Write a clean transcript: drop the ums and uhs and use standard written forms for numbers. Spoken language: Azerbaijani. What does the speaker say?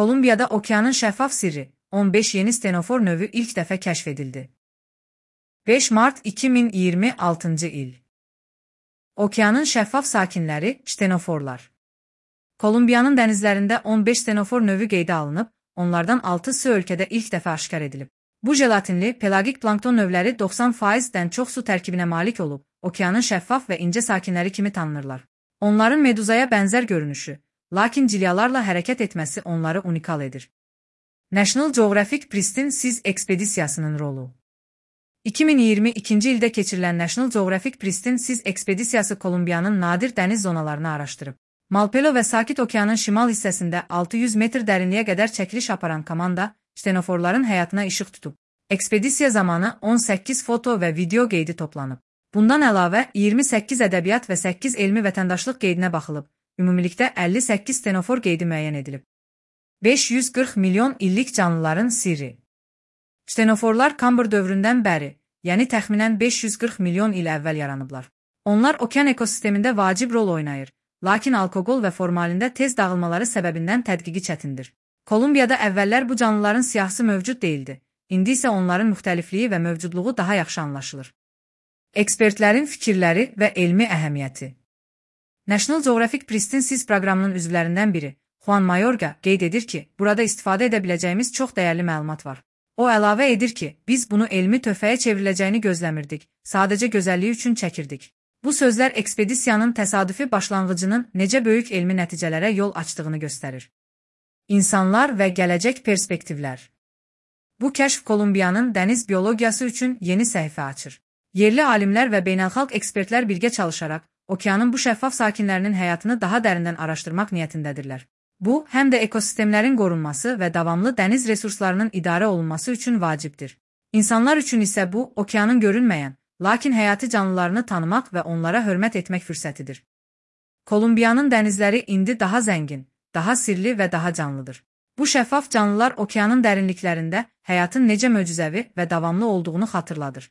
Kolumbiyada okeanın şəffaf sirri, 15 yeni stenofor növü ilk dəfə kəşf edildi. 5 Mart 2026 il. Okeanın şəffaf sakinləri, stenoforlar. Kolumbiyanın dənizlərində 15 stenofor növü qeydə alınıb, onlardan 6'sı ölkədə ilk dəfə aşkar edilib. Bu jelatinli, pelagik plankton növləri 90%-dən çox su tərkibinə malik olub, okeanın şəffaf və incə sakinləri kimi tanınırlar. Onların meduzaya bənzər görünüşü, lakin cilyalarla hərəkət etməsi onları unikal edir. National Geographic Pristine Seas ekspedisiyasının rolu. 2022-ci ildə keçirilən National Geographic Pristine Seas ekspedisiyası Kolumbiyanın nadir dəniz zonalarını araşdırıb. Malpelo və Sakit Okeanın şimal hissəsində 600 metr dərinliyə qədər çəkiliş aparan komanda, stenoforların həyatına işıq tutub. Ekspedisiya zamanı 18 foto və video qeydi toplanıb. Bundan əlavə 28 ədəbiyyat və 8 elmi vətəndaşlıq qeydinə baxılıb. Ümumilikdə 58 stenofor qeydi müəyyən edilib. 540 milyon illik canlıların sirri. Stenoforlar Kambr dövründən bəri, yəni təxminən 540 milyon il əvvəl yaranıblar. Onlar okean ekosistemində vacib rol oynayır, lakin alkoqol və formalində tez dağılmaları səbəbindən tədqiqi çətindir. Kolumbiyada əvvəllər bu canlıların siyahısı mövcud değildi, indi isə onların müxtəlifliyi və mövcudluğu daha yaxşı anlaşılır. Ekspertlərin fikirləri və elmi əhəmiyyəti. National Geographic Pristine Seas proqramının üzvlərindən biri, Juan Mayorga, qeyd edir ki, burada istifadə edə biləcəyimiz çox dəyərli məlumat var. O əlavə edir ki, biz bunu elmi töhfəyə çevriləcəyini gözləmirdik, sadəcə gözəlliyi üçün çəkirdik. Bu sözlər ekspedisiyanın təsadüfi başlanğıcının necə böyük elmi nəticələrə yol açdığını göstərir. İnsanlar və gələcək perspektivlər. Bu kəşf Kolumbiyanın dəniz biologiyası üçün yeni səhifə açır. Yerli alimlər və beynəlxalq ekspertlər birgə çalışaraq, okeanın bu şəffaf sakinlərinin həyatını daha dərindən araşdırmaq niyyətindədirlər. Bu, həm də ekosistemlərin qorunması və davamlı dəniz resurslarının idarə olunması üçün vacibdir. İnsanlar üçün isə bu, okeanın görünməyən, lakin həyati canlılarını tanımaq və onlara hörmət etmək fürsətidir. Kolumbiyanın dənizləri indi daha zəngin, daha sirli və daha canlıdır. Bu şəffaf canlılar okeanın dərinliklərində həyatın necə möcüzəvi və davamlı olduğunu xatırladır.